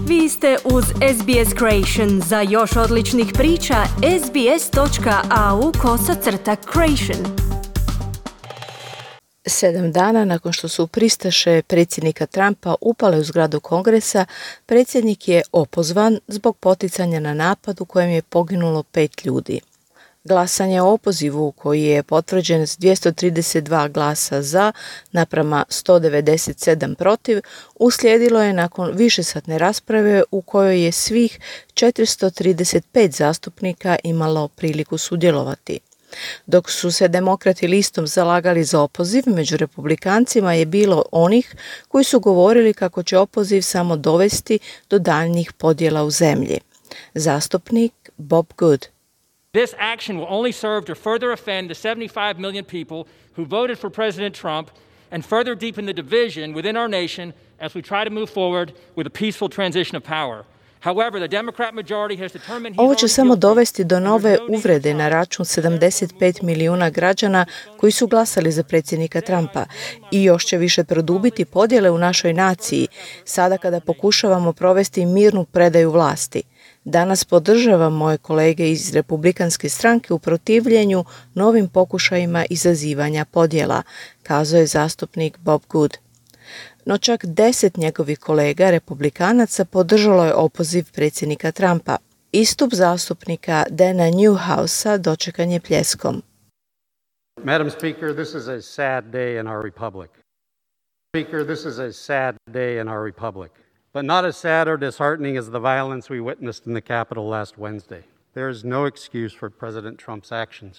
Vi ste uz SBS Creation. Za još odličnih priča, sbs.au/creation. 7 dana nakon što su pristaše predsjednika Trumpa upale u zgradu Kongresa, predsjednik je opozvan zbog poticanja na napad u kojem je poginulo 5 ljudi. Glasanje o opozivu, koji je potvrđen s 232 glasa za naprama 197 protiv, uslijedilo je nakon višesatne rasprave u kojoj je svih 435 zastupnika imalo priliku sudjelovati. Dok su se demokrati listom zalagali za opoziv, među republikancima je bilo onih koji su govorili kako će opoziv samo dovesti do daljnjih podjela u zemlji. Zastupnik Bob Good. This action will only serve to further offend the 75 million people who voted for President Trump and further deepen the division within our nation as we try to move forward with a peaceful transition of power. Ovo će samo dovesti do nove uvrede na račun 75 milijuna građana koji su glasali za predsjednika Trumpa i još će više produbiti podjele u našoj naciji sada kada pokušavamo provesti mirnu predaju vlasti. Danas podržavam moje kolege iz Republikanske stranke u protivljenju novim pokušajima izazivanja podjela, kazao je zastupnik Bob Good. No čak 10 njegovih kolega republikanaca podržalo je opoziv predsjednika Trumpa. Istup zastupnika Dana Newhousea dočekan je pljeskom. Madam Speaker, this is a sad day in our republic. Speaker, this is a sad day in our republic. But not as sad or disheartening as the violence we witnessed in the Capitol last Wednesday. There is no excuse for President Trump's actions.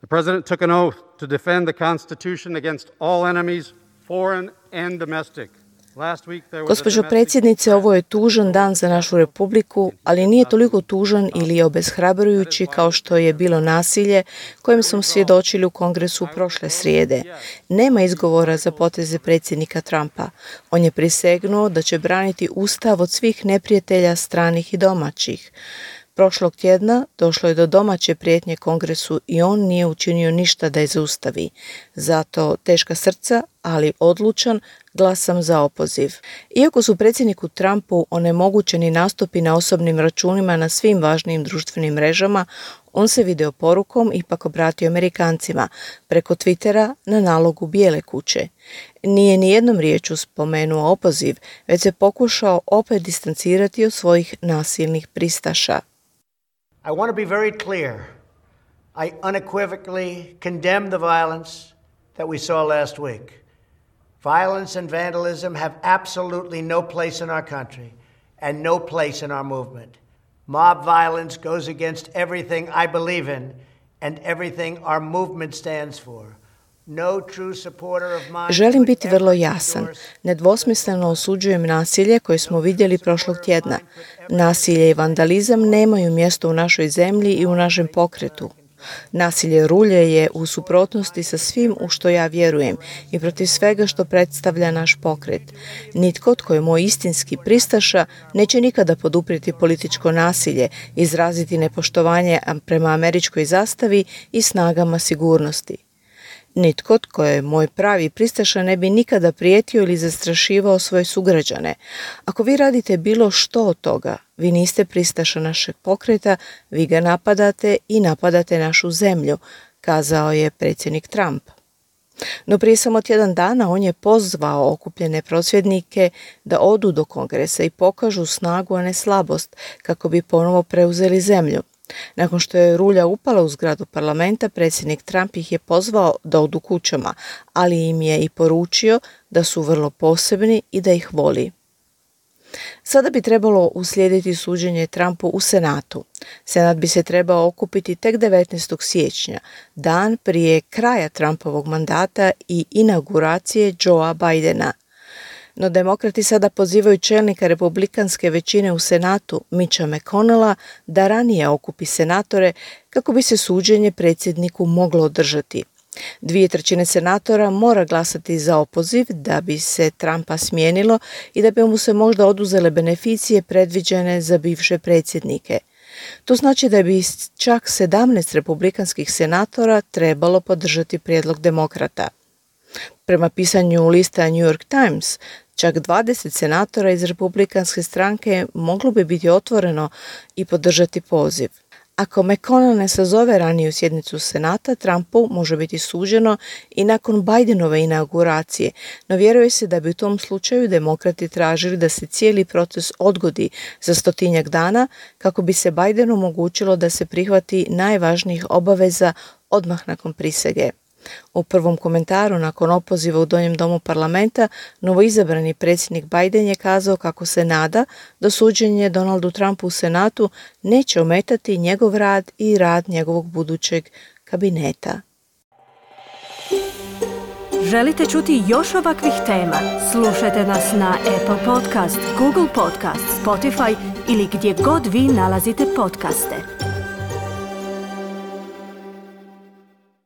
The president took an oath to defend the Constitution against all enemies, foreign and domestic. Gospođo predsjednice, ovo je tužan dan za našu republiku, ali nije toliko tužan ili obeshrabrujući kao što je bilo nasilje kojem smo svjedočili u Kongresu prošle srijede. Nema izgovora za poteze predsjednika Trumpa. On je prisegnuo da će braniti Ustav od svih neprijatelja stranih i domaćih. Prošlog tjedna došlo je do domaće prijetnje Kongresu i on nije učinio ništa da je zaustavi. Zato teška srca, ali odlučan, glasam za opoziv. Iako su predsjedniku Trumpu onemogućeni nastupi na osobnim računima na svim važnijim društvenim mrežama, on se video porukom ipak obratio Amerikancima preko Twittera na nalogu Bijele kuće. Nije ni jednom riječju spomenuo opoziv, već se pokušao opet distancirati od svojih nasilnih pristaša. I want to be very clear. I unequivocally condemn the violence that we saw last week. Violence and vandalism have absolutely no place in our country and no place in our movement. Mob violence goes against everything I believe in and everything our movement stands for. Želim biti vrlo jasan. Nedvosmisleno osuđujem nasilje koje smo vidjeli prošlog tjedna. Nasilje i vandalizam nemaju mjesto u našoj zemlji i u našem pokretu. Nasilje rulje je u suprotnosti sa svim u što ja vjerujem i protiv svega što predstavlja naš pokret. Nitko tko je moj istinski pristaša neće nikada poduprijeti političko nasilje, izraziti nepoštovanje prema američkoj zastavi i snagama sigurnosti. Nitko tko je moj pravi pristaša ne bi nikada prijetio ili zastrašivao svoje sugrađane. Ako vi radite bilo što od toga, vi niste pristaša našeg pokreta, vi ga napadate i napadate našu zemlju, kazao je predsjednik Trump. No prije samo tjedan dana on je pozvao okupljene prosvjednike da odu do Kongresa i pokažu snagu, a ne slabost, kako bi ponovo preuzeli zemlju. Nakon što je rulja upala u zgradu parlamenta, predsjednik Trump ih je pozvao da odu kućama, ali im je i poručio da su vrlo posebni i da ih voli. Sada bi trebalo uslijediti suđenje Trumpu u Senatu. Senat bi se trebao okupiti tek 19. siječnja, dan prije kraja Trumpovog mandata i inauguracije Joea Bidena. No demokrati sada pozivaju čelnika republikanske većine u Senatu, Mitcha McConnella, da ranije okupi senatore kako bi se suđenje predsjedniku moglo održati. 2/3 senatora mora glasati za opoziv da bi se Trumpa smijenilo i da bi mu se možda oduzele beneficije predviđene za bivše predsjednike. To znači da bi čak 17 republikanskih senatora trebalo podržati prijedlog demokrata. Prema pisanju lista New York Times, Čak 20 senatora iz Republikanske stranke moglo bi biti otvoreno i podržati poziv. Ako McConnell ne sazove raniju sjednicu Senata, Trumpu može biti suđeno i nakon Bidenove inauguracije, no vjeruje se da bi u tom slučaju demokrati tražili da se cijeli proces odgodi za 100-tinjak dana kako bi se Bidenu omogućilo da se prihvati najvažnijih obaveza odmah nakon prisege. U prvom komentaru nakon opoziva u Donjem domu parlamenta, novoizabrani predsjednik Biden je kazao kako se nada da suđenje Donaldu Trumpu u Senatu neće ometati njegov rad i rad njegovog budućeg kabineta. Želite čuti još ovakvih tema? Slušajte nas na Apple Podcast, Google Podcast, Spotify ili gdje god vi nalazite podcaste.